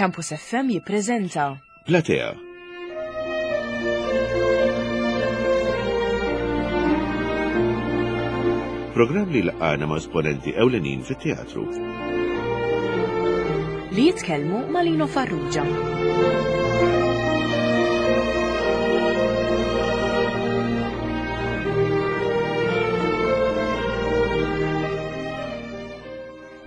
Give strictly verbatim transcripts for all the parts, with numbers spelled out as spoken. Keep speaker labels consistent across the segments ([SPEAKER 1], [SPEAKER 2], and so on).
[SPEAKER 1] Campus F M jippreżenta
[SPEAKER 2] Platea. Programm li laqgħana ma' esponenti ewlenin fit-teatru.
[SPEAKER 1] Li jitkellmu ma' Lino Farrugia.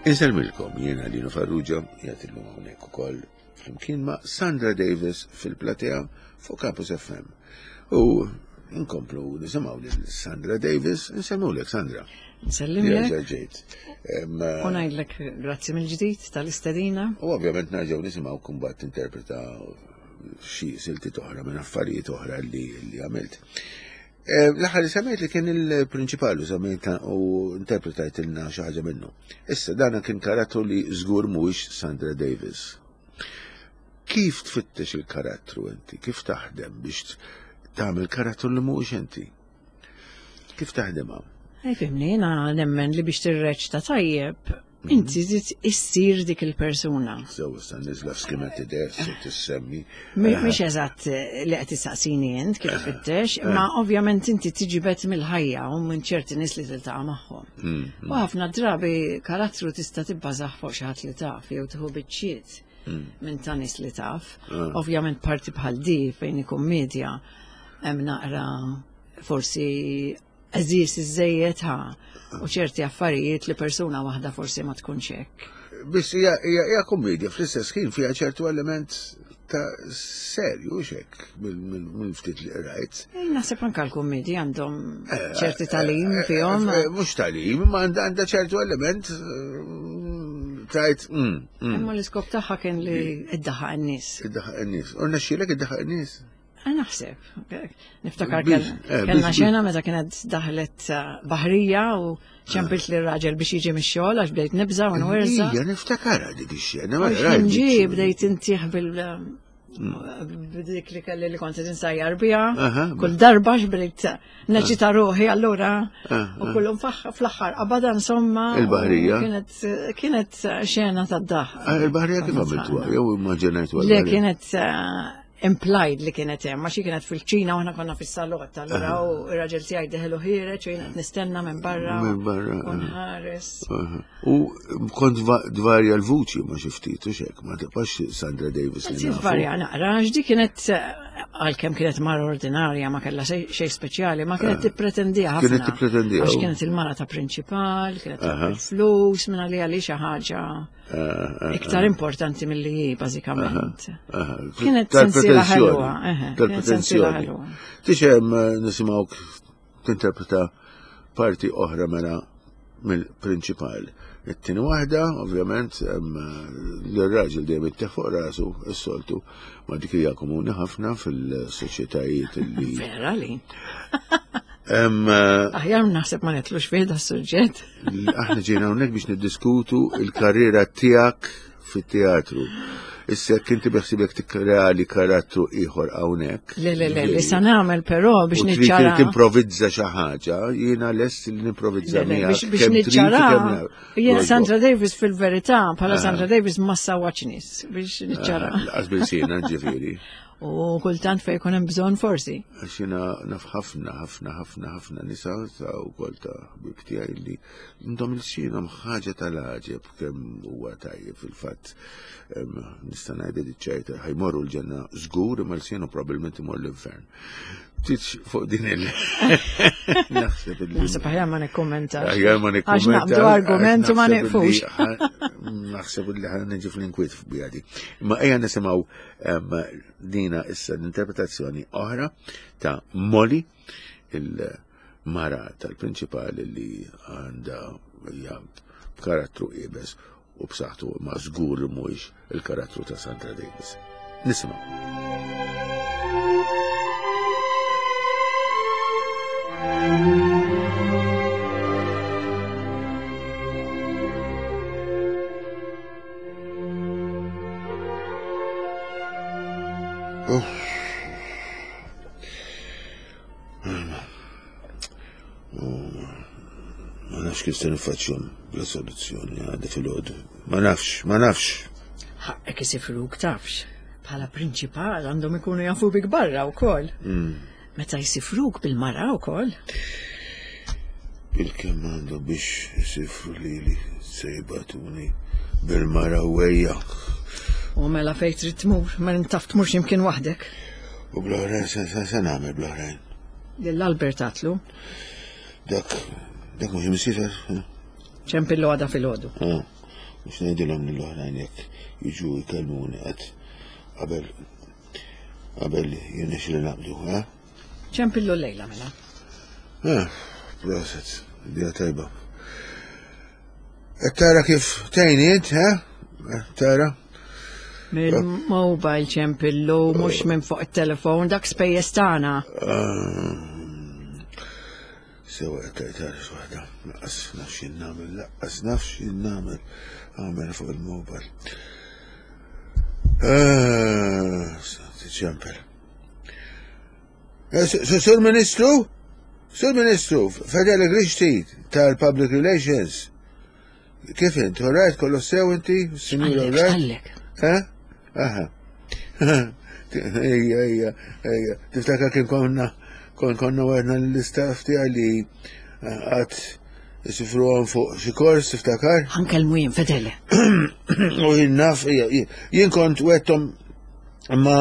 [SPEAKER 2] Insellmilkom, jiena Lino Farrugia, qiegħed illum hawnhekk ukoll flimkien ma' Sandra Davis fil-Platea fuq Campus F M. U nkomplu nisimgħu lil Sandra Davis, insellmulek Sandra.
[SPEAKER 3] Nsellimlek.
[SPEAKER 2] Jerġa' ġejt. Em,
[SPEAKER 3] U ngħidlek grazzi mill-ġdid tal-istedina.
[SPEAKER 2] U ovvjament nerġgħu nisimgħu kumbat tinterpreta xi siltiet oħra minn affarijiet oħra li, li għamilt. Eh, l-aħħar li semmejt li kien il-prinċipal u semmejt u interpretajt ilna xi ħaġa minnu. Issa dana kien karattru li żgur mhuwiex Sandra Davis. Kif tfittex il-karattru inti? Kif taħdem biex tagħmel karattru li mhuwiex inti? Kif taħdemha?
[SPEAKER 3] Ej, fimni, jiena nemmen li biex tirreċta tajjeb, inti trid issir dik il-persuna.
[SPEAKER 2] Sew, issa niżla f'skimenti dess u tissemmi.
[SPEAKER 3] Mi-, mhix eżatt li qed tistaqsini int kif tfittex, imma ovvjament inti tiġibed mill-ħajja u minn ċerti nies li tiltaqa' magħhom.
[SPEAKER 2] Mm,
[SPEAKER 3] U ħafna drabi karattru tista' tibbażah fuq xi ħadd li taf jew tieħu biċċiet
[SPEAKER 2] Mm.
[SPEAKER 3] minn ta' nies li taf.
[SPEAKER 2] Ah.
[SPEAKER 3] Ovvjament parti bħal di fejn ikun media hemm naqra forsi għażiż iżejjed ha u ċerti affarijiet li persuna waħda forsi ma tkunx hekk.
[SPEAKER 2] Biss hija, hija, hija kommedja fl-istess ħin fiha ċertu element ta' serju xek mill-ftit li rajt.
[SPEAKER 3] Eh, naħseb anke l-kummedji għandhom
[SPEAKER 2] Eh,
[SPEAKER 3] ċerti talim
[SPEAKER 2] eh,
[SPEAKER 3] fihom.
[SPEAKER 2] eh, mhux talim, imma għandha, għandha ċertu element, eh, tajt, mm, mm.
[SPEAKER 3] Imma l-iskop tagħha kien li iddaħħaq in-nies.
[SPEAKER 2] Iddaħħaq in-nies. U rnexxielek iddaħħaq in-nies?
[SPEAKER 3] Eh, naħseb. Niftakar
[SPEAKER 2] Biex,
[SPEAKER 3] kell-
[SPEAKER 2] eh,
[SPEAKER 3] kellna
[SPEAKER 2] biex,
[SPEAKER 3] xena meta kienet daħlet, eh, baħrija u ċempilt li raġel biex jiġi mix-xogħol għax bdejt nibża' u nwerża.
[SPEAKER 2] Ija, niftakarha dik ix-xena, ma
[SPEAKER 3] Għax
[SPEAKER 2] rajt
[SPEAKER 3] ġie
[SPEAKER 2] dik ix-xena.
[SPEAKER 3] bdejt intih bil- b'dik li kelli li kont insajjar biha.
[SPEAKER 2] Aha.
[SPEAKER 3] Kull darba x'bdejt neċita ruħi allura
[SPEAKER 2] Aha.
[SPEAKER 3] u kullum faħ-, fl-aħħar qabada insomma.
[SPEAKER 2] Il-baħrija.
[SPEAKER 3] Kienet, kienet xena tad-daħ.
[SPEAKER 2] Ah, il-baħrija kif għamiltuha? Jew immaġinajtuha
[SPEAKER 3] Le,
[SPEAKER 2] l-baħrija?
[SPEAKER 3] kienet, eh, implied li kienet hemm, għax hi kienet fil-ċina u aħna konna fis-salott, allura
[SPEAKER 2] Aha.
[SPEAKER 3] u r-raġel tiegħi deħelu ħiereġ u jiena qed nistenna minn barra
[SPEAKER 2] Minn barra,
[SPEAKER 3] u
[SPEAKER 2] aha.
[SPEAKER 3] nħares.
[SPEAKER 2] Aha. U kont va-, dvarja l-vuċi ma xi ftit u xek, ma tibqax Sandra Davis li
[SPEAKER 3] Anzi,
[SPEAKER 2] nafu.
[SPEAKER 3] tvarja naqra, għax di kienet, għalkemm kienet mara ordinarja, ma kellha xej, xej speċjali, ma kienet
[SPEAKER 2] Ah.
[SPEAKER 3] tippretendiha ħafna.
[SPEAKER 2] Kienet tippretendiha,
[SPEAKER 3] Għax
[SPEAKER 2] u-
[SPEAKER 3] kienet il-mara ta' prinċipal, kienet
[SPEAKER 2] Aha.
[SPEAKER 3] il-flus, minn għalija li xi ħaġa
[SPEAKER 2] Ah, ah,
[SPEAKER 3] iktar
[SPEAKER 2] ah.
[SPEAKER 3] importanti milli hi, bażikament.
[SPEAKER 2] Aha, aha.
[SPEAKER 3] Kienet sensiela
[SPEAKER 2] Tal-pretenzjoni.
[SPEAKER 3] ħelwa, eħe, kienet sensiela
[SPEAKER 2] Tal-pretenzjoni.
[SPEAKER 3] ħelwa.
[SPEAKER 2] Tixem, eh, nisimgħuk tinterpreta parti oħra mela mill-prinċipal. It-tieni waħda, ovvjament, em, l-raġel dejjem ittieħ fuq rasu, is-soltu, ma dik hija komuni ħafna fil-soċjetajiet li
[SPEAKER 3] Vera li.
[SPEAKER 2] Em, eh,
[SPEAKER 3] Aħjar naħseb ma netlux fih da suġġett.
[SPEAKER 2] Aħna ġejna hawnhekk biex niddiskutu il-karriera tiegħek fit-teatru. Issa jekk inti beħsibek tikkreali karattru ieħor hawnhekk.
[SPEAKER 3] Le, le, le, li sa nagħmel però biex
[SPEAKER 2] U trid
[SPEAKER 3] niċċara.
[SPEAKER 2] timprovizza xi ħaġa, jiena lest li nimprovizza
[SPEAKER 3] Le, le,
[SPEAKER 2] miegħek
[SPEAKER 3] biex, biex
[SPEAKER 2] kemm trid u
[SPEAKER 3] niċċara.
[SPEAKER 2] kemm nagħmel.
[SPEAKER 3] Jien
[SPEAKER 2] Għoġbok.
[SPEAKER 3] Sandra Davis fil-verità, bħala
[SPEAKER 2] Ah.
[SPEAKER 3] Sandra Davis ma sawwaċ nies biex niċċara.
[SPEAKER 2] Ah, Laqas bil-sina, ġifieri.
[SPEAKER 3] U kultant fejn jkun hemm bżonn forsi.
[SPEAKER 2] Għax jiena naf ħafna, ħafna, ħafna, ħafna nisa ta' wkoll ta' ħbieb tiegħi li għandhom il-sinhom ħaġa tal-għaġeb kemm huwa tajjeb fil-fatt. Em, nista' ngħid li ċerta ħajmorru l-ġenna żgur imma l-sienu probabbilment imur l-infern. Titx fuq din il- Naħseb illi
[SPEAKER 3] Naħseb aħjar ma nikkummentax.
[SPEAKER 2] Aħjar ma
[SPEAKER 3] Għax
[SPEAKER 2] nikkummentax,
[SPEAKER 3] naqbdu argument u ma
[SPEAKER 2] għax naħseb
[SPEAKER 3] nieqfux.
[SPEAKER 2] illi ħa-, naħseb illi ħa niġi fl-inkwiet f'bijadi. Ma ejja nisimgħu, em, dina issa l-interpretazzjoni oħra ta' Molly, il-mara tal-prinċipal li għandha hija b'karattru iebes u b'saħħtu ma żgur li mhuwiex il-karattru ta' Sandra Davis. Nisimgħu. Ma nafx kif se nifaċċjom bla soluzzjoni għadha fil-għodu. Ma nafx, ma nafx.
[SPEAKER 3] Ħaqqek isifruk tafx. Bħala prinċipal għandhom ikunu jafu bik barra wkoll. Meta jsifruk bil-mara wkoll.
[SPEAKER 2] Il-kemm għandu biex jisifru lili se jibatuni bil-mara wejja.
[SPEAKER 3] U mela fejn trid tmur, mela taf tmur x'imkien waħdek.
[SPEAKER 2] U bl-oħrajn se se se nagħmel bl-oħrajn.
[SPEAKER 3] Lil Albert għatlu,
[SPEAKER 2] Dak dak mhux imsifer.
[SPEAKER 3] ċempillu għada filgħodu.
[SPEAKER 2] Ah, mhux ngħidilhom lill-oħrajn jekk jiġu jkellmuni qatt qabel qabel jirnexxili naqbdu, eh?
[SPEAKER 3] ċempillu llejla mela.
[SPEAKER 2] Ah, proset, idea tajba. Qed tara kif tgħinni int, eh? Tara?
[SPEAKER 3] Mill-mobile ċempillu, mhux minn fuq it-telefon, dak spejjeż tagħna.
[SPEAKER 2] Sewa qed tara x'waħda. Lanqas naf x'jien nagħmel, lanqas naf x'jien nagħmel. Għamel fuq il-mobile. Ah, ċempel. Eh, Sur Ministru? Sur Ministru, Fedele Grixti tal-Public Relations. Kif int? All right, kollu sew inti? Sinjura all
[SPEAKER 3] Għallek,
[SPEAKER 2] right?
[SPEAKER 3] għallek.
[SPEAKER 2] Eh? Aha. Ejja, ejja, ejja. Tiftakar kien konna kon konna għedna l-istaff tiegħi li għat jisifruhom fuq xi kors, tiftakar?
[SPEAKER 3] Ħa nkellmu jien Fedele.
[SPEAKER 2] U jien naf, ija, jien kont wegħedthom imma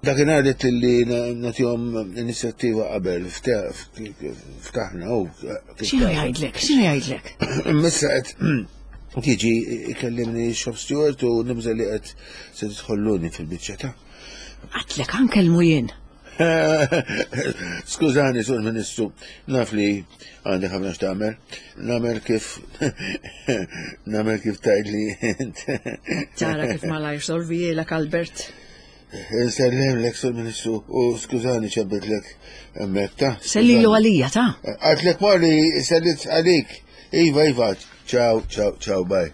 [SPEAKER 2] dakinhar għedt li nagħtihom inizjattiva qabel ftaħna u
[SPEAKER 3] X'inhu jgħidlek? X'inhu jgħidlek?
[SPEAKER 2] Missa qed tiġi ikellimni shop steward u nibża li qed se tidħolluni fil-biċċa ta'
[SPEAKER 3] Għedtlek ħa nkellmu jien.
[SPEAKER 2] Skużani, sur Ministru, naf li għandi ħafna x'tagħmel. Nagħmel kif nagħmel kif tgħidli int.
[SPEAKER 3] Tara kif malajr solvielek Albert.
[SPEAKER 2] Insellimlek, sur Ministru, u skużani ċempiltlek hemmhekk ta'
[SPEAKER 3] Sellilu għalija ta'
[SPEAKER 2] Għedtlek Molly sellimt għalik. Iva, Iva, ciao, ciao, ciao, bye.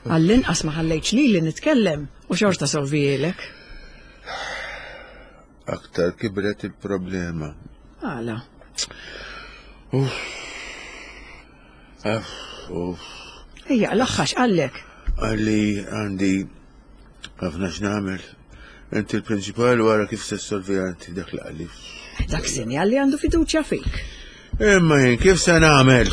[SPEAKER 3] Għall-inqas ma ħallejtx li li nitkellem u xorta solvielek.
[SPEAKER 2] Aktar kibret il-problema.
[SPEAKER 3] Għala.
[SPEAKER 2] Uff. Uff, uff.
[SPEAKER 3] Ejja, l-axħax għallek.
[SPEAKER 2] Għalli għandi ħafna x'nagħmel. Inti l-prinċipal wara kif se solvi għanti dak li qalli.
[SPEAKER 3] Dak sinjal li għandu fiduċja fik.
[SPEAKER 2] Imma jien kif se nagħmel?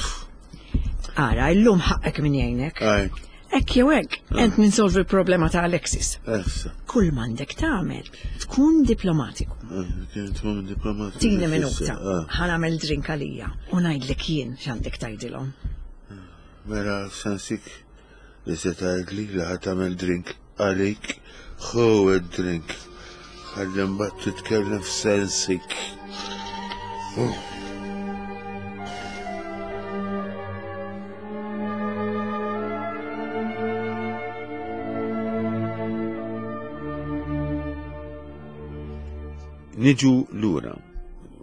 [SPEAKER 3] Ara, illum ħaqqek min jgħinek.
[SPEAKER 2] Aj,
[SPEAKER 3] Hekk jew hekk, ent min solvi l-problema ta' Alexis.
[SPEAKER 2] essa.
[SPEAKER 3] Kull m'għandek tagħmel, tkun diplomatiku.
[SPEAKER 2] Kien tkun diplomatiku.
[SPEAKER 3] Tini minuta,
[SPEAKER 2] Ah,
[SPEAKER 3] ħa nagħmel drink għalija u ngħidlek jien x'għandek tgħidilhom.
[SPEAKER 2] Mela sansik li se tgħidli li ħa tagħmel drink għalik, ħu id-drink. Ħalli mbagħad titkellem f'sensik. Uff. Niġu lura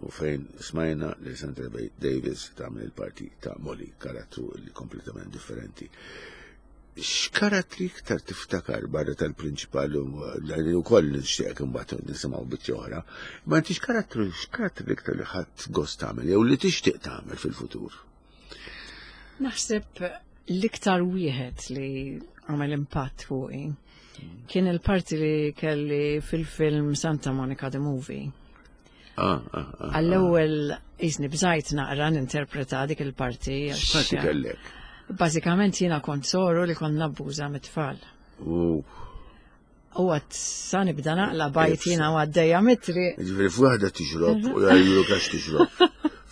[SPEAKER 2] u fejn smajna li Sandra Davis tagħmel il-parti ta' Molly, karattru li kompletament differenti. X'karattri iktar tiftakar barra tal-prinċipal li wkoll nixtieq imbagħad nisimgħu biċċa oħra, ma inti x'karattru x'karattri iktar li ħadd gost tagħmel jew li tixtieq tagħmel fil-futur?
[SPEAKER 3] Naħseb l-iktar wieħed li għamel impatt fuqi kien il-parti li kelli fil-film Santa Monica the Movie.
[SPEAKER 2] Ah, ah, ah.
[SPEAKER 3] Għall-ewwel jisni bżajt naqra ninterpreta dik il-parti. għax-
[SPEAKER 2] X'parti kellek?
[SPEAKER 3] Bażikament jiena kont soru li kont nabbuża mit-tfal.
[SPEAKER 2] U
[SPEAKER 3] U għat sa nibda naqla bajt jiena u għaddejja mitri.
[SPEAKER 2] Ġifieri f'waħda tixrob u jgħajru għax tixrob.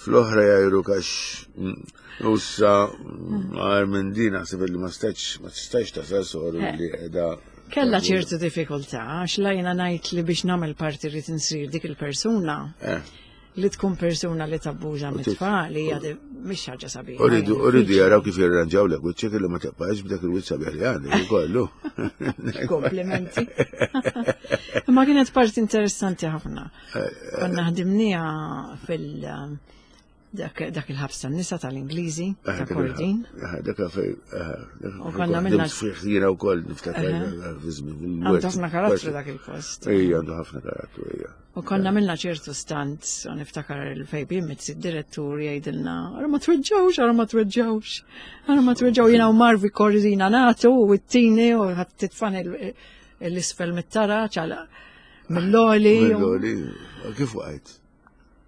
[SPEAKER 2] Fl-oħra jgħajru għax u sa għar minn din naħseb li ma stax ma tistax tasal soru li qiegħda.
[SPEAKER 3] Kella ċertu diffikultà, għax la jiena ngħid li biex nagħmel parti rrid insir dik il-persuna
[SPEAKER 2] Eh.
[SPEAKER 3] li tkun persuna li tabbuża mit-tfal hija di- mhix ħaġa sabiħa.
[SPEAKER 2] Uridu,
[SPEAKER 3] hija
[SPEAKER 2] uridu
[SPEAKER 3] diffiċli.
[SPEAKER 2] jaraw kif jirranġaw lek wiċċek li ma tibqax b'dak il-wiċċ sabiħ li għandek ukollu.
[SPEAKER 3] Komplimenti. Imma kienet parti interessanti ħafna. Konna ħdimnija fil- dak dak il-ħabs tan-nisa tal-Ingliżi, ta' Kordin.
[SPEAKER 2] Dak fej.
[SPEAKER 3] U konna minna-
[SPEAKER 2] Jiena wkoll niftakar fi żmien.
[SPEAKER 3] Għandu ħafna karattru dak il-post.
[SPEAKER 2] Ejja, għandu ħafna karattru, ejja.
[SPEAKER 3] U konna minna ċertu stunts, u niftakar il-Fabian Mizzi, id-direttur jgħidilna, ara ma tweġġawx, ara ma tweġġawx, ara ma tweġġaw, jiena u Marvi Korzina natu, u t-tini, u ħat titfan l-isfel mit-taraġ għal mill-oli.
[SPEAKER 2] Mill-oli, kif waqajt?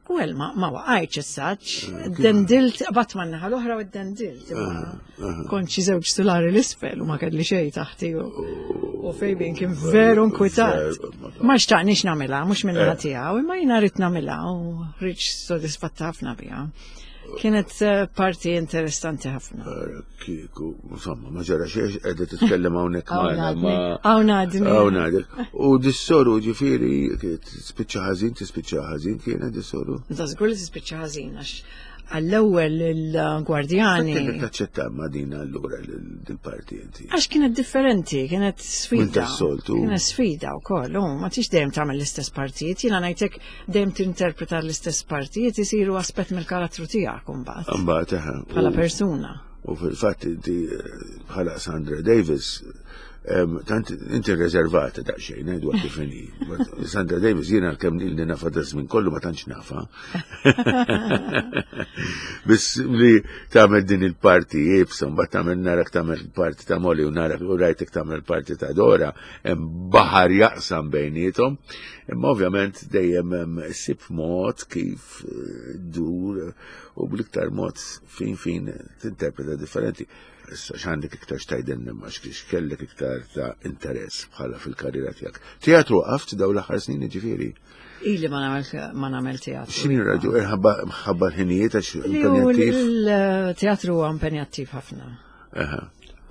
[SPEAKER 3] Well, ma, ma waqajtx essaċ, dendilt, qabadt man-naħa l-oħra u dendilt. Kont xi żewġ sulari l-isfel u ma kelli xejn taħti u u Fabian kien veru nkwitat. Ma xtaqnix nagħmilha, mhux minn tiegħu, imma jiena rrid nagħmilha u ħriġt sodisfatta ħafna biha. Kienet eh, parti interessanti ħafna.
[SPEAKER 2] Kieku, insomma, ma ġara xejn qiegħda titkellem hawnhekk magħna. ma-
[SPEAKER 3] Hawn għadni.
[SPEAKER 2] Hawn għadek. U dis-soru ġifieri, tispiċċa ħażin, tispiċċa ħażin kienet dis-soru.
[SPEAKER 3] Da żgur li tispiċċa ħażin għax għall-ewwel il-gwardjani.
[SPEAKER 2] Kienet taċċetta ma din allura dil-parti inti.
[SPEAKER 3] Għax kienet differenti, kienet sfida.
[SPEAKER 2] Minn tas-soltu.
[SPEAKER 3] Kienet sfida u koll, u ma tix dejjem tagħmel l-istess partijiet, jiena ngħidlek dejjem tinterpreta l-istess partijiet isiru aspett mill-karattru tiegħek imbagħad
[SPEAKER 2] Mbagħad eħe.
[SPEAKER 3] bħala
[SPEAKER 2] U-
[SPEAKER 3] persuna.
[SPEAKER 2] U fil-fatt inti eh, bħala Sandra Davis, em, tant inti rezervata daqsxejn, ngħidu kif inhi. But Sandra Davis jiena kemm ilni nafa da żmien kollu ma tantx nafa. Biss li tagħmel din il-parti iebsa, mbagħad tagħmel narak tagħmel il-parti ta' Molly u narak u rajtek tagħmel il-parti ta' Dora, hemm baħar jaqsam bejniethom. Imma ovvjament dejjem hemm issib mod kif eh, dur u bl-iktar mod fin fin tinterpreta differenti. Issa x'għandek iktar x'tgħidilna ma x'kellek iktar ta' interess bħala fil-karriera tiegħek. Teatru waqaft daw l-aħħar snin ġifieri.
[SPEAKER 3] Ili ma nagħmel ma nagħmel teatru.
[SPEAKER 2] X'inhi raġu ħabba l-ħinijiet għax
[SPEAKER 3] Li hu
[SPEAKER 2] impenjattiv.
[SPEAKER 3] Il-teatru huwa impenjattiv ħafna.
[SPEAKER 2] Aha.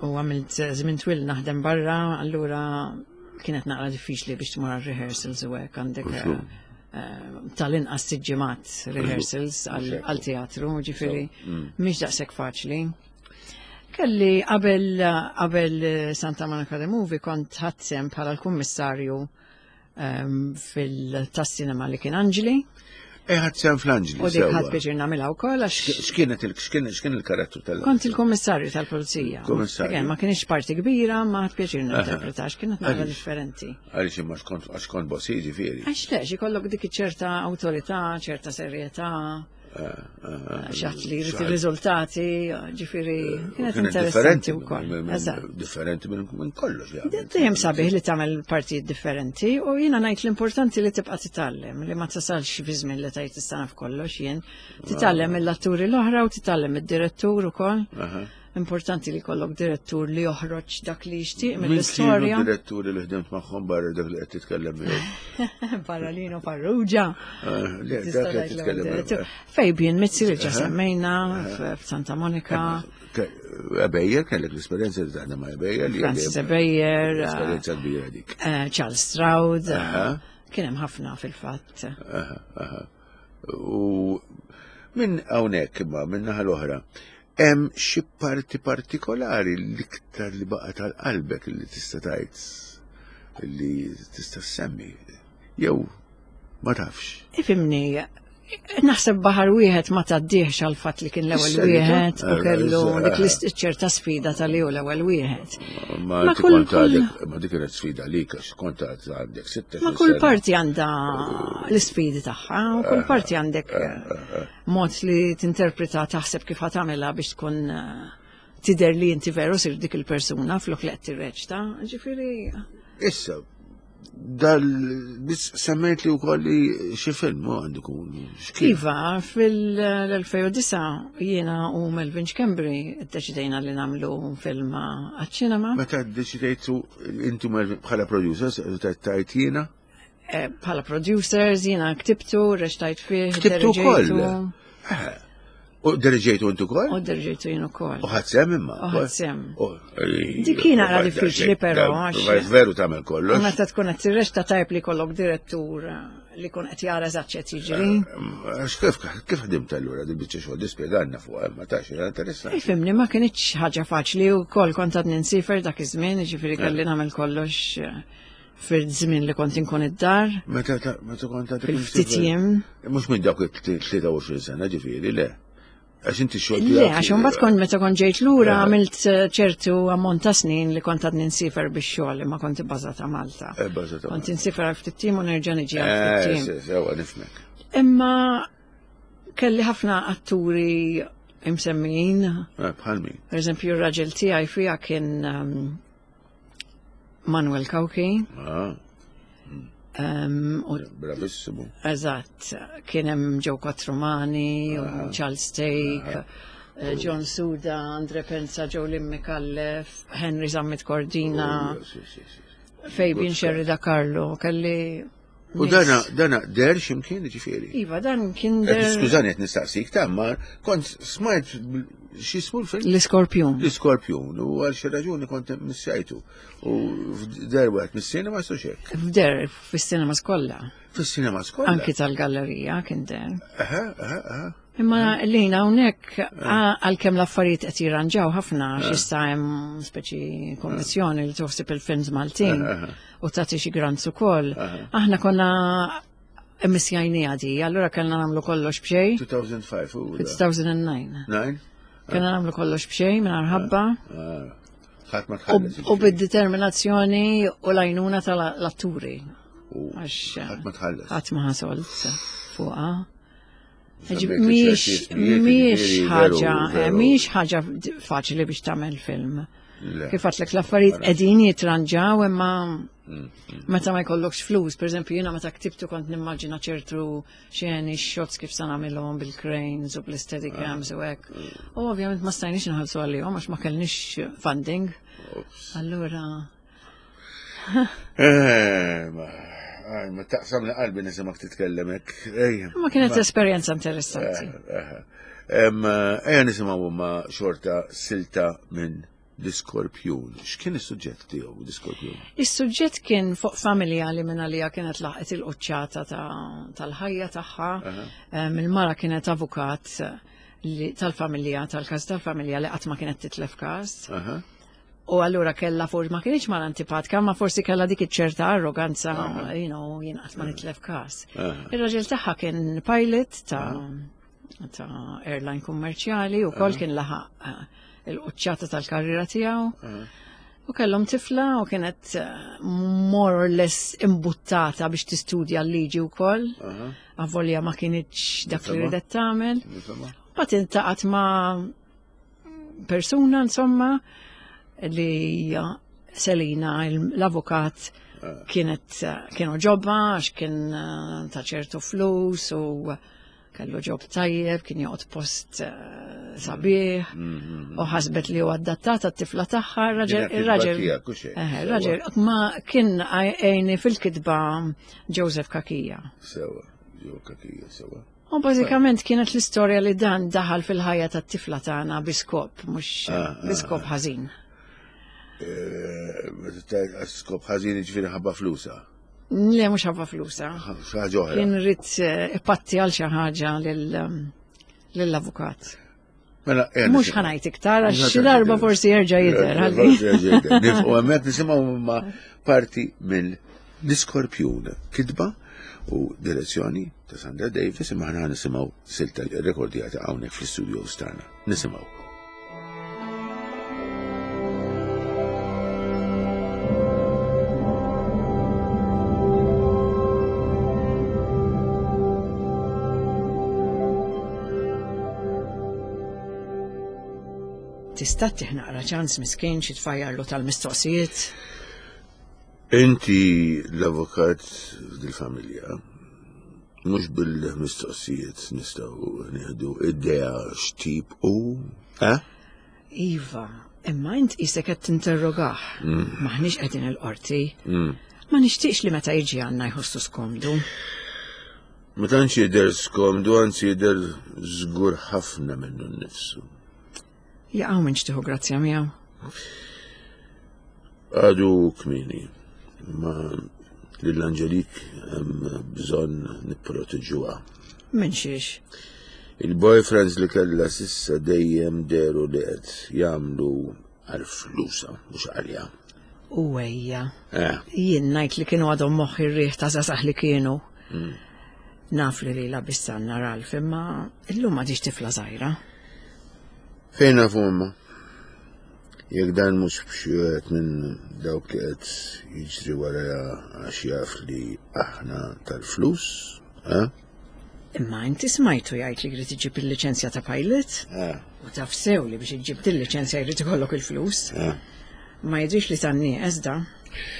[SPEAKER 3] U għamilt żmien twil naħdem barra, allura kienet naqra diffiċli biex tmur għal rehearsals u hekk għandek
[SPEAKER 2] Uxu.
[SPEAKER 3] eh, tal-inqas sitt ġimgħat rehearsals għal għal teatru, ġifieri mhix daqshekk faċli. Kelli qabel qabel Santa Monica The Movie kont ħadt sehem bħala l-kummissarju ehm, fil-tas-cinema li kien Angeli
[SPEAKER 2] E ħadt sehem fl-Anġli.
[SPEAKER 3] u dik
[SPEAKER 2] sewwa.
[SPEAKER 3] ħadt pjaċir nagħmilha wkoll għax
[SPEAKER 2] X'kienet il x'kien x'kien il-karattru tal
[SPEAKER 3] Kont il-kommissarju tal-pulizija.
[SPEAKER 2] Kummissarju.
[SPEAKER 3] Again, ma kienx parti kbira, ma ħadt pjaċir ninterpreta, għax kienet naqra
[SPEAKER 2] Għaliex?
[SPEAKER 3] differenti.
[SPEAKER 2] Għaliex imma xkont għax kont bossi ġifieri.
[SPEAKER 3] Għax le, ikollok dik ċerta awtorità, ċerta serjetà, xi ħadd li jrid ir-riżultati, ġifieri, kienet interessanti wkoll. Eżatt.
[SPEAKER 2] Differenti minn minn kollox. li għamilt.
[SPEAKER 3] Dejjem sabiħ li tagħmel partijiet differenti u jiena ngħid l-importanti li tibqa' titgħallem, li ma tasalx fi żmien li tgħid tista' naf kollox jien. Titgħallem mill-atturi l-oħra u titgħallem id-direttur ukoll.
[SPEAKER 2] Aha.
[SPEAKER 3] Importanti li jkollok direttur li joħroġ dak li jixtieq
[SPEAKER 2] Min kienu
[SPEAKER 3] mill-istorja.
[SPEAKER 2] diretturi li ħdimt magħhom barra dak li qed titkellem miegħu.
[SPEAKER 3] Barra Lino Farrugia.
[SPEAKER 2] Ah, Le,
[SPEAKER 3] Tista'
[SPEAKER 2] dak li qed
[SPEAKER 3] tgħid
[SPEAKER 2] titkellem
[SPEAKER 3] l-ewwel
[SPEAKER 2] miegħu.
[SPEAKER 3] direttur. Fabian Mizzi li ġa semmejna f- f'Santa Monica,
[SPEAKER 2] Ke- Ebejer, kellek l-esperjenza li taħdem ma' Ebejer. li
[SPEAKER 3] Francis
[SPEAKER 2] li-
[SPEAKER 3] Ebejer,
[SPEAKER 2] Esperjenza kbira dik.
[SPEAKER 3] eh, Charles Stroud, eh,
[SPEAKER 2] Aha.
[SPEAKER 3] kien hemm ħafna fil-fatt.
[SPEAKER 2] Aha, aha. U minn hawnhekk imma minn naħa l-oħra, hemm xi parti partikolari l-iktar li baqa' tal-qalbek li tista' tgħid li tista' semmi jew ma tafx.
[SPEAKER 3] Ifhimni, naħseb baħar wieħed ma tgħaddihx għal fatt li kien l-ewwel
[SPEAKER 2] Is-serjetà?
[SPEAKER 3] wieħed u
[SPEAKER 2] Eh,
[SPEAKER 3] kellu
[SPEAKER 2] eh,
[SPEAKER 3] dik l ċerta sfida tal-li hu l-ewwel wieħed.
[SPEAKER 2] Ma
[SPEAKER 3] Ma
[SPEAKER 2] inti
[SPEAKER 3] kull-
[SPEAKER 2] kont għadek, ma dik kienet sfida lik għax kont għandek sitta.
[SPEAKER 3] Ma kull parti għandha l-isfidi tagħha, u kull parti għandek eh, mod li tinterpreta taħseb kif ħa tagħmilha biex tkun eh, tidher li inti veru sir dik il-persuna flok li qed tirreċta. Ġifieri
[SPEAKER 2] Issa, dal biss semmejt li wkoll li xi film u għandu kun. x'kien?
[SPEAKER 3] Iva, fil-elfejn u disgħa jiena u Melvin Schembri ddeċidejna li nagħmlu film għaċ-ċinema.
[SPEAKER 2] Meta ddeċidejtu intu Melvin bħala producers, tajt jiena?
[SPEAKER 3] Eh, Bħala producers, jiena ktibtu, reċtajt fih,
[SPEAKER 2] Ktibtu wkoll?
[SPEAKER 3] diriġejtu.
[SPEAKER 2] U diriġejtu intu wkoll?
[SPEAKER 3] U diriġejtu jien ukoll.
[SPEAKER 2] U ħadt sehem imma?
[SPEAKER 3] U ħadt sehem.
[SPEAKER 2] U-
[SPEAKER 3] Dik kien naqra diffiċli però, għax-
[SPEAKER 2] Veru tagħmel
[SPEAKER 3] U
[SPEAKER 2] kollox.
[SPEAKER 3] meta tkun qed tirreċta tajb li jkollok direttur eh, li kun qed jara eżatt x'qed jiġri.
[SPEAKER 2] Għax kif kif ħdimt allura di biċċa xogħol dispjegalna fuq ma tax era interessanti.
[SPEAKER 3] Ifhimni, ma kinitx ħaġa faċli u kol kont għadni nsifer dak iż-żmien, ġifieri kelli nagħmel kollox eh, fil-żmien li kont inkun id-dar,
[SPEAKER 2] Meta ta- meta kont għadek
[SPEAKER 3] fil-ftit jiem.
[SPEAKER 2] Mhux minn dawk it-tlieta u għoxrin sena ġifieri, le. Għax inti xogħol
[SPEAKER 3] Le, għax imbagħad kont meta kont ġejt lura
[SPEAKER 2] Eh.
[SPEAKER 3] għamilt eh, ċertu ammont ta' snin li kont għadni nsifer biex xogħol imma kont ibbażata Malta.
[SPEAKER 2] Eh, bbażata
[SPEAKER 3] Kont insifer għal ftit jiem u nerġa' niġi għal ftit
[SPEAKER 2] Eh,
[SPEAKER 3] jiem.
[SPEAKER 2] se- sewa nifhmek.
[SPEAKER 3] Imma kelli ħafna atturi imsemmijin.
[SPEAKER 2] Eh, Bħal min.
[SPEAKER 3] Per eżempju, r-raġel tiegħi fija kien um, Manuel Cauchi.
[SPEAKER 2] Ah,
[SPEAKER 3] em, u
[SPEAKER 2] bravissimu.
[SPEAKER 3] Eżatt, kien hemm Joe Quattromani, u Charles Stake, eh, John Suda, Andre Penza, Joe Micallef, Henry Zammit Cordina,
[SPEAKER 2] Oh, sì, sì, sì.
[SPEAKER 3] Fabian Scerri da Carlo, kelli.
[SPEAKER 2] U
[SPEAKER 3] nies-
[SPEAKER 2] dana, dana, der ximkien ġifieri.
[SPEAKER 3] Iva, dan kien
[SPEAKER 2] Qed
[SPEAKER 3] der
[SPEAKER 2] Skużani qed nistaqsik ta' ma kont smajt x'ismu l-film?
[SPEAKER 3] l-Iskorpjun.
[SPEAKER 2] L-Iskorpjun u għal xi raġuni kont missajtu. U f'der wieħed mis-sinema su xek.
[SPEAKER 3] F'der, fis-cinema kollha.
[SPEAKER 2] Fis-sinema skolla.
[SPEAKER 3] Anki tal-gallerija kien der.
[SPEAKER 2] Aha, aha, aha.
[SPEAKER 3] Imma lina hawnhekk għalkemm l-affarijiet qed jirranġaw ħafna għax issa hemm speċi kommissjoni li toħsib il-films Maltin u tagħti xi grants ukoll. Aħna konna immissjajniha di, allura kellna nagħmlu kollox b'xejn
[SPEAKER 2] two thousand five u.
[SPEAKER 3] fi two thousand nine.
[SPEAKER 2] Nine?
[SPEAKER 3] Kellna nagħmlu kollox b'xejn mingħajr ħabba
[SPEAKER 2] Ah. Ħadd ma
[SPEAKER 3] u
[SPEAKER 2] tħallas.
[SPEAKER 3] u bid-determinazzjoni u l-għajnuna tal-atturi.
[SPEAKER 2] U
[SPEAKER 3] Għax
[SPEAKER 2] ħadd ma tħallas.
[SPEAKER 3] ħadd ma ħasolt fuqha.
[SPEAKER 2] Semmejt li
[SPEAKER 3] Mhix
[SPEAKER 2] ċerti ismijiet,
[SPEAKER 3] mhix
[SPEAKER 2] jiġifieri,
[SPEAKER 3] ħaġa,
[SPEAKER 2] veru, veru.
[SPEAKER 3] mhix ħaġa faċli biex tagħmel film.
[SPEAKER 2] Le.
[SPEAKER 3] Kif għedtlek, l-affarijiet qegħdin jitranġaw, imma meta ma jkollokx flus, per eżempju jiena meta ktibtu kont nimmaġina ċertu xeni, shots kif sa nagħmilhom bil-cranes u bl-steadicams u hekk. U ovvjament ma stajniex nħallsu għalihom għax ma kellniex funding.
[SPEAKER 2] Ops.
[SPEAKER 3] Allura
[SPEAKER 2] Eh, ma aj, ma taqsam li qalbi nisimak titkellem hekk. Ejja.
[SPEAKER 3] Ma kienet esperjenza interessanti.
[SPEAKER 2] Em, Ejja nisimgħu ma xorta silta minn L-Iskorpjun. X'kien is-suġġett tiegħu L-Iskorpjun?
[SPEAKER 3] Is-suġġett kien fuq familja li minn għalija kienet laħqet il-quċċata ta- tal-ħajja tagħha. Em, Il-mara kienet avukat li- tal-familja, tal-każ tal-familja li qatt ma kienet titlef każ.
[SPEAKER 2] Aha.
[SPEAKER 3] U allura kella forsi ma kienx mara antipatika, ma forsi kella dik iċ-ċerta arroganza, you know, jien qatt ma nitlef każ. Ir-raġel tagħha kien pilot ta' ta' airline kummerċjali u kol kien laħaq eh, il-quċċata tal-karriera tiegħu. U kellhom tifla u kienet eh, more or less imbuttata biex tistudja l-liġi wkoll. Avolja ma kienx dak li
[SPEAKER 2] Nifhimha.
[SPEAKER 3] ridet tagħmel.
[SPEAKER 2] Nifhimha?
[SPEAKER 3] Bat iltaqgħet ma' persuna, insomma, li hija Selina, l-avukat, kienet kienu ġobba għax kien eh, ta' ċertu flus u kellu job tajjeb, kien joqgħod post eh, sabiħ u ħasbet li huwa adattata t-tifla tagħha, ir-raġel
[SPEAKER 2] Kienet kitba
[SPEAKER 3] ir-raġel
[SPEAKER 2] tiegħek u xejn,
[SPEAKER 3] Eh,
[SPEAKER 2] sewwa.
[SPEAKER 3] ir-raġel ma kien għajni fil-kitba Joseph Cachia.
[SPEAKER 2] Sewwa, Joe Cachia, sewwa.
[SPEAKER 3] U bażikament kienet l-istorja li dan daħal fil-ħajja tat-tifla tagħna bi skop, mhux
[SPEAKER 2] Ah,
[SPEAKER 3] bi skop ħażin.
[SPEAKER 2] Eh, Meta skop ħażin ġifieri ħabba flusa.
[SPEAKER 3] Le, mhux ħabba flusa.
[SPEAKER 2] Xi ħaġa oħra.
[SPEAKER 3] Kien ried eh, ipatti għal xi ħaġa lil- um, lill-avukat.
[SPEAKER 2] Mela, ejja
[SPEAKER 3] Mhux
[SPEAKER 2] nisimgħu.
[SPEAKER 3] ħa ngħid iktar għax
[SPEAKER 2] Mhux
[SPEAKER 3] xi darba
[SPEAKER 2] ħa ngħid.
[SPEAKER 3] forsi jerġa' jidher. ħalli.
[SPEAKER 2] Forsi jerġa' jidher. Nifqu hemmhekk nisimgħu ma' parti mill L-Iskorpjun, kitba u direzzjoni ta' Sandra Davis, imma ħna nisimgħu silta rekordjata hawnhekk fl-istudio tagħna. Nisimgħu.
[SPEAKER 3] Tista' ttih naqra ċans miskin xi tfajjarlu tal-mistoqsijiet.
[SPEAKER 2] Inti l-avukat dil-familja, mhux bil-mistoqsijiet nistgħu nieħdu idea x'tip u, eh?
[SPEAKER 3] Iva, imma int qisek qed tinterrogah. Maħniex qegħdin il-qorti. Ma nixtieqx li meta jiġi għandna jħossu skomdu.
[SPEAKER 2] Ma tantx jidher skomdu, anzi jidher żgur ħafna minnu nnifsu.
[SPEAKER 3] Jaqgħu minn tieħu grazzja miegħu.
[SPEAKER 2] Għadu kmieni, ma lil Angelik hemm bżonn nipproteġuha.
[SPEAKER 3] Minn xiex.
[SPEAKER 2] Il-boyfriends li kellha s'issa dejjem dehru li qed jagħmlu għal flusa, mhux għalija.
[SPEAKER 3] U ejja.
[SPEAKER 2] Eh,
[SPEAKER 3] Jien ngħid li kienu għadhom moħħ ir-riħ ta' żgħażagħ li kienu. Naf li lila bissanna Ralf, imma illum m'għadhiex tifla żgħira.
[SPEAKER 2] Fejn nafu imma? Jekk dan mhux b'xi wieħed minn dawk li qed jiġri wara għax jaf li aħna tal-flus, eh?
[SPEAKER 3] Imma inti smajtu jgħid li jrid iġib il-liċenzja ta' pilot?
[SPEAKER 2] Eh,
[SPEAKER 3] U taf sew li biex iġib il-liċenzja jrid ikollok il-flus.
[SPEAKER 2] eh.
[SPEAKER 3] Ma jidrix li tan-nieqes da.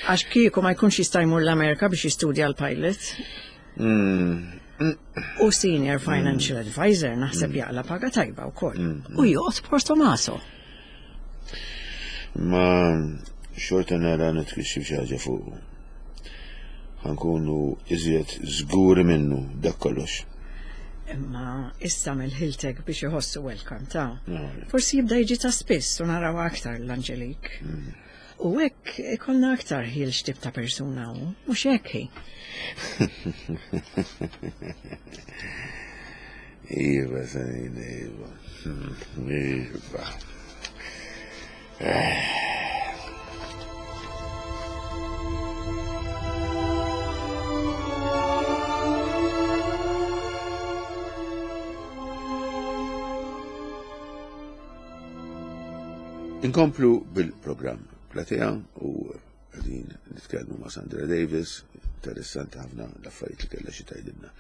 [SPEAKER 3] Għax kieku ma jkunx jista' jmur l-Amerika biex jistudja l-pilot.
[SPEAKER 2] Mm.
[SPEAKER 3] U senior financial advisor naħseb jaqla paga tajba wkoll. U joqgħod Portomaso.
[SPEAKER 2] Ma xorta nara nitkixxif xi ħaġa fuq. Ħa nkunu iżjed żguri minnu dak kollox.
[SPEAKER 3] Imma issa mill-ħiltek biex iħossu welcome ta'
[SPEAKER 2] No.
[SPEAKER 3] Forsi jibda jiġi ta' spiss u naraw aktar l-Anġelik. U hekk ikollna aktar ħil x'tip ta' persuna hu, mhux hekk hi.
[SPEAKER 2] Iva, Sanina, iva. Hmm, Iva. Inkomplu bil-programm Platea u għadin nitkellmu ma' Sandra Davis, interessanti ħafna l-affarijiet li kellha xi tgħidilna.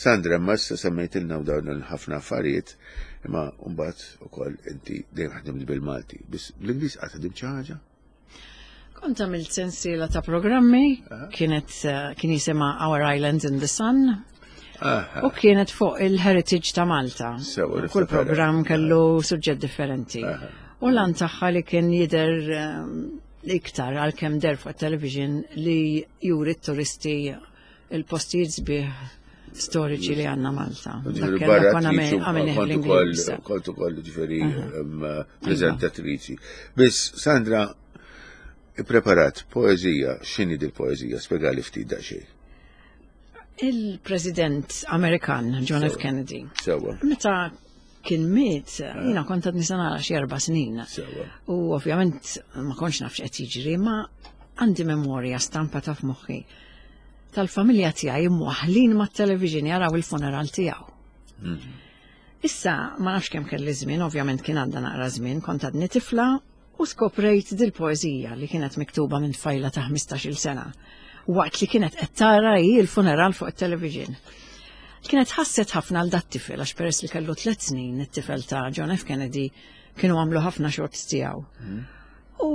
[SPEAKER 2] Sandra, ma issa semmejtilna u dawn ħafna affarijiet, imma mbagħad ukoll inti dejjem ħdimt bil-Malti, biss bl-Ingliż qatt ħdimt xi ħaġa?
[SPEAKER 3] Kont għamilt sensiela ta' programmi, kienet eh, kien jisimha Our Island in the Sun, u kienet fuq il-heritage ta' Malta.
[SPEAKER 2] Sewa,
[SPEAKER 3] Kull
[SPEAKER 2] niftakar.
[SPEAKER 3] programm kellu suġġett differenti. U lan tagħha li kien jidher ehm, iktar għalkemm der fuq television li juri t-turisti il-postijiet sbieħ storiċi li għandna Malta. Dak
[SPEAKER 2] Ġifieri
[SPEAKER 3] kellna
[SPEAKER 2] barra
[SPEAKER 3] konna
[SPEAKER 2] attriċi,
[SPEAKER 3] għamilnih
[SPEAKER 2] kont ukoll
[SPEAKER 3] bl-Ingliż.
[SPEAKER 2] kont ukoll ġifieri em, preżentatriċi. Biss Sandra ippreparat poeżija, x'inhi dil-poeżija? Spjegali ftit daqsxejn.
[SPEAKER 3] Il-President Amerikan John F. Kennedy.
[SPEAKER 2] Sewwa.
[SPEAKER 3] Meta kien miet, jiena kont għadni sena xi erba' snin.
[SPEAKER 2] Sewwa.
[SPEAKER 3] U ovvjament ma kontx naf x'qed jiġri, ma għandi memorja stampa ta' f'moħħi tal-familja tiegħi imwaħlin mat-television jaraw il-funeral tiegħu. Issa ma nafx kemm kelli żmien, ovvjament kien għandha naqra żmien, kont għadni tifla u skoprejt dil-poeżija li kienet miktuba minn tfajla ta' ħmistax-il sena waqt li kienet qed tara hi l-funeral fuq it-television. Kienet ħasset ħafna għal dat tifel għax peress li kellu tliet snin it-tifel ta' John F. Kennedy kienu għamlu ħafna shots tiegħu. U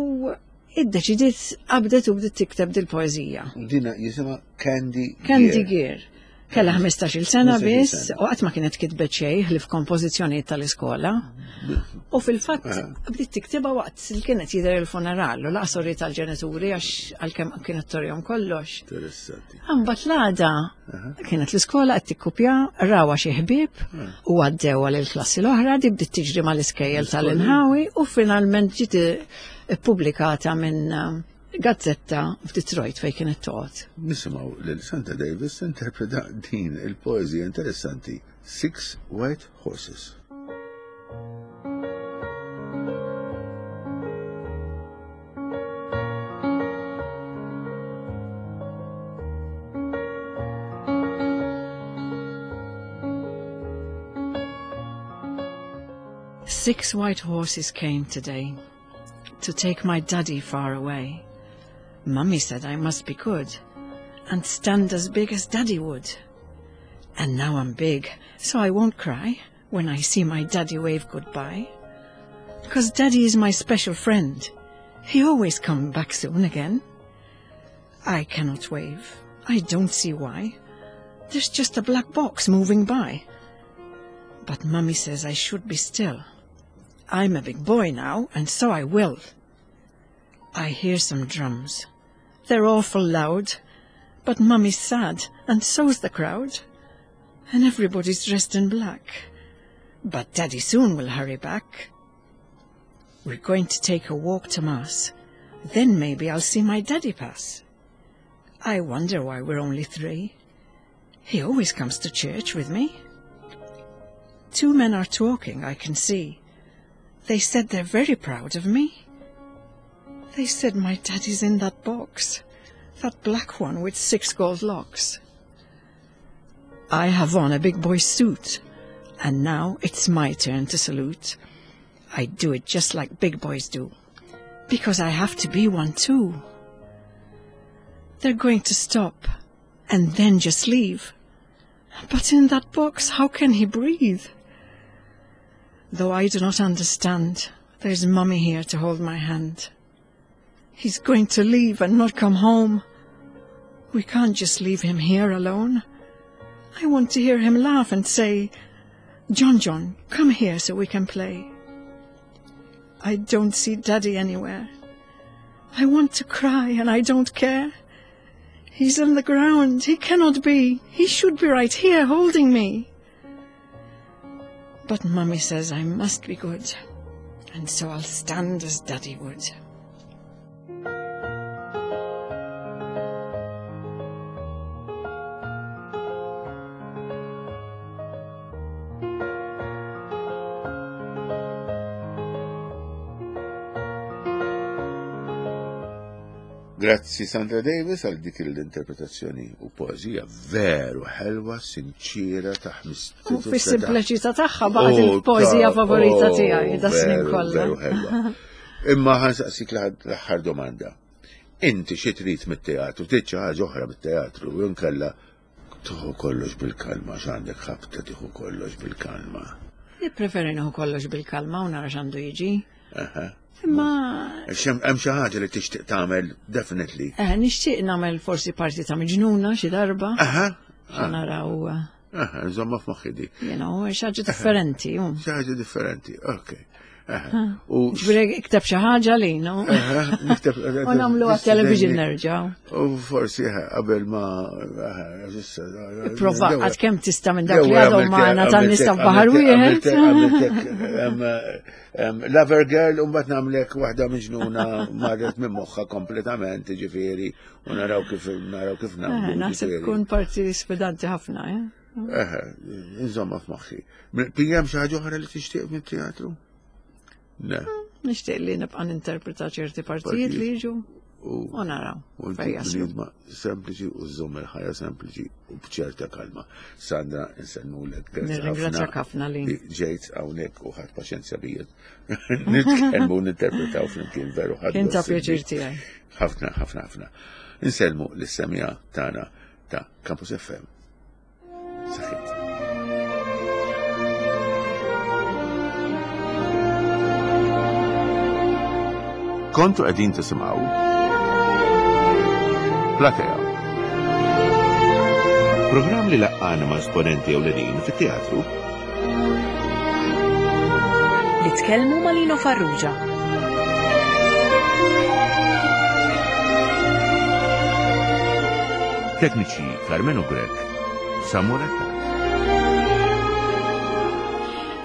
[SPEAKER 3] iddeċidiet qabdet u bdiet tikteb dil-poeżija.
[SPEAKER 2] Dina jisimha Candy
[SPEAKER 3] Candy
[SPEAKER 2] Gear.
[SPEAKER 3] Gear. Kella ħmistax-il sena
[SPEAKER 2] ħmistax-il
[SPEAKER 3] biss
[SPEAKER 2] sena.
[SPEAKER 3] u qatt ma kienet kitbet xejn li f'kompożizzjonijiet tal-iskola. U fil-fatt bdiet tiktibha waqt li kienet jidher il-funeral u laqas uriet tal-ġenituri għax għalkemm kienet torjhom kollox.
[SPEAKER 2] Interessanti.
[SPEAKER 3] Imbagħad l-għada kienet l-iskola qed tikkupja, rawha xi ħbieb u għaddewha lill-klassi l-oħra, di bdiet tiġri mal-iskejjel tal-inħawi u finalment ġiet ippubblikata minn eh, gazzetta f'Detroit fejn kienet toqgħod.
[SPEAKER 2] Nisimgħu lil Sandra Davis interpreta din il-poeżija interessanti Six White Horses.
[SPEAKER 3] Six white horses came today to take my daddy far away. Mummy said I must be good and stand as big as daddy would. And now I'm big, so I won't cry when I see my daddy wave goodbye. 'Cause daddy is my special friend. He always come back soon again. I cannot wave. I don't see why. There's just a black box moving by. But Mummy says I should be still. I'm a big boy now, and so I will. I hear some drums. They're awful loud, but Mummy's sad, and so's the crowd. And everybody's dressed in black. But Daddy soon will hurry back. We're going to take a walk to Mass. Then maybe I'll see my daddy pass. I wonder why we're only three. He always comes to church with me. Two men are talking, I can see. They said they're very proud of me. They said my daddy's in that box, that black one with six gold locks. I have on a big boy suit, and now it's my turn to salute. I do it just like big boys do, because I have to be one too. They're going to stop, and then just leave. But in that box, how can he breathe? Though I do not understand, there's Mummy here to hold my hand. He's going to leave and not come home. We can't just leave him here alone. I want to hear him laugh and say, John John, come here so we can play. I don't see Daddy anywhere. I want to cry and I don't care. He's in the ground. He cannot be. He should be right here holding me. But Mummy says I must be good, and so I'll stand as Daddy would.
[SPEAKER 2] Grazzi Sandra Davis għal dik l-interpretazzjoni u poeżija veru ħelwa, sinċira ta'
[SPEAKER 3] U fis-simpliċità tagħha baqgħet il-poeżija favorita tiegħi da snin kollha.
[SPEAKER 2] Veru ħelwa. Imma ħa nsaqsik l-aħħar domanda. Inti xi trid mit-teatru, trid xi ħaġa oħra mit-teatru, jew inkella tieħu kollox bil-kalma, x'għandek ħabta tieħu kollox bil-kalma.
[SPEAKER 3] Nippreferi nieħu kollox bil-kalma u nara x'għandu jiġi. Imma
[SPEAKER 2] Hemm xi ħaġa li tixtieq tagħmel definitely.
[SPEAKER 3] eh, nixtieq nagħmel forsi parti ta' miġnuna xi darba.
[SPEAKER 2] Aha.
[SPEAKER 3] Xa naraw, eh,
[SPEAKER 2] Aha, insomma f'moħħi dik.
[SPEAKER 3] you know, xi ħaġa differenti. u.
[SPEAKER 2] Xi ħaġa differenti, ok. Aha. U
[SPEAKER 3] Ġifieri ikteb xi ħaġa li, no?
[SPEAKER 2] Aha, nikteb-
[SPEAKER 3] U nagħmlu għat-television nerġgħu.
[SPEAKER 2] U forsi aha, qabel ma aha, issa,
[SPEAKER 3] Prova għad kemm tista' minn dak li
[SPEAKER 2] Jew
[SPEAKER 3] għadhom
[SPEAKER 2] għamiltek-
[SPEAKER 3] magħna tan-nies ta'
[SPEAKER 2] għamiltek-
[SPEAKER 3] baħar wieħed.
[SPEAKER 2] għamiltek, em, em, Lover Girl, u mbagħad nagħmlek waħda miġnuna marret minn moħħha kompletament, ġifieri, u naraw kif naraw kif
[SPEAKER 3] Eh,
[SPEAKER 2] nagħmlu.
[SPEAKER 3] Naħseb
[SPEAKER 2] ġifieri.
[SPEAKER 3] tkun parti sfidanti ħafna, eh?
[SPEAKER 2] Eħe, insomma f'moħħi. Hemm xi ħaġa oħra li tixtieq mit-teatru? Le.
[SPEAKER 3] Nixtieq li nibqa' ninterpreta ċerti partijiet li jiġu
[SPEAKER 2] U
[SPEAKER 3] u naraw
[SPEAKER 2] u
[SPEAKER 3] fejn jaslu.
[SPEAKER 2] bniedma sempliċi u żomm il-ħajja sempliċi u bċerta kalma. Sandra, insellmulek. Grazzi
[SPEAKER 3] Nirringrazzjak ħafna li.
[SPEAKER 2] li ġejt hawnhekk u ħadt paċenzja bija. Nitkellmu u ninterpretaw flimkien veru ħadd.
[SPEAKER 3] Kien ta' pjaċir tiegħi.
[SPEAKER 2] Ħafna, ħafna, ħafna. Insellmu lis-semmiegħa tagħna ta' Campus F M. Saħħit. Kontu qegħdin tisimgħu Platea. Programm li laqqana ma' esponenti ewlenin fit-teatru
[SPEAKER 1] Li tkellmu ma' Lino Farrugia.
[SPEAKER 2] Tekniċi Carmelo Grech, Samuel Attard.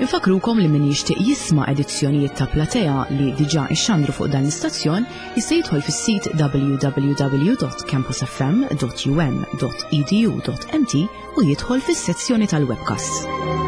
[SPEAKER 1] Infakrukom li min jixtieq jisma' edizzjonijiet ta' Platea li diġà ixxandru fuq dan l-istazzjon jista' jidħol fis-sit w w w dot campusfm dot u m dot e d u dot m t u jidħol fis-sezzjoni tal-webcast.